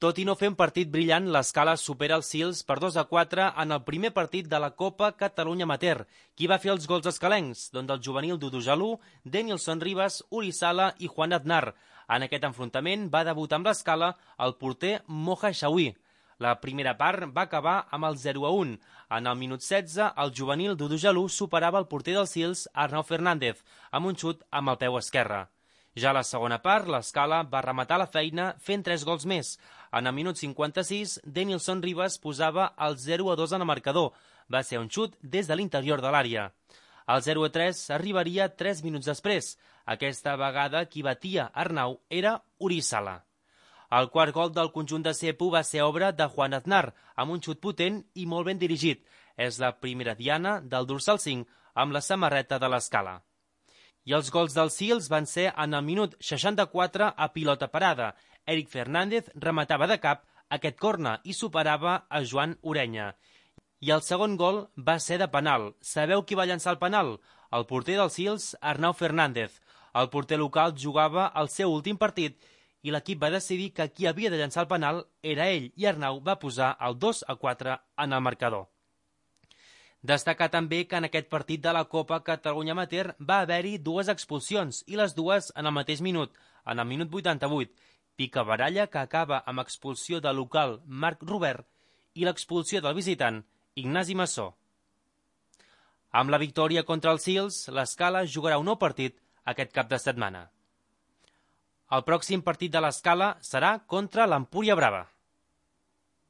Tot i no fer un partit brillant, l'Escala supera els Sils per 2-4 en el primer partit de la Copa Catalunya Amateur. Qui va fer els gols escalencs? Doncs el juvenil Dudu Jalú, Denilson Ribas, Uri Sala i Juan Aznar. En aquest enfrontament va debutar amb l'Escala el porter Moja Xaui. La primera part va acabar amb el 0-1. En el minut 16, el juvenil Dudu Jalú superava el porter dels Sils, Arnau Fernández, amb un xut amb el peu esquerre. Ja a la segona part, l'Escala va rematar la feina fent 3 gols més. En el minut 56, Denilson Ribas posava el 0-2 en el marcador. Va ser un xut des de l'interior de l'àrea. El 0-3 arribaria 3 minuts després. Aquesta vegada qui batia Arnau era Uri Sala. El quart gol del conjunt de Cepu va ser obra de Juan Aznar, amb un xut potent i molt ben dirigit. És la primera diana del dorsal 5 amb la samarreta de l'Escala. I els gols dels Sils van ser en el minut 64 a pilota parada. Eric Fernández rematava de cap aquest corna i superava a Joan Orenya. I el segon gol va ser de penal. Sabeu qui va llançar el penal? El porter dels Sils, Arnau Fernández. El porter local jugava el seu últim partit i l'equip va decidir que qui havia de llançar el penal era ell i Arnau va posar el 2-4 en el marcador. Destacar també que en aquest partit de la Copa Catalunya Amateur va haver-hi 2 expulsions i les dues en el mateix minut, en el minut 88. Picabaralla, que acaba amb expulsió del local Marc Robert, i l'expulsió del visitant Ignasi Massó. Amb la victòria contra els Sils, l'Escala jugarà un nou partit aquest cap de setmana. El pròxim partit de l'Escala serà contra l'Empúria Brava.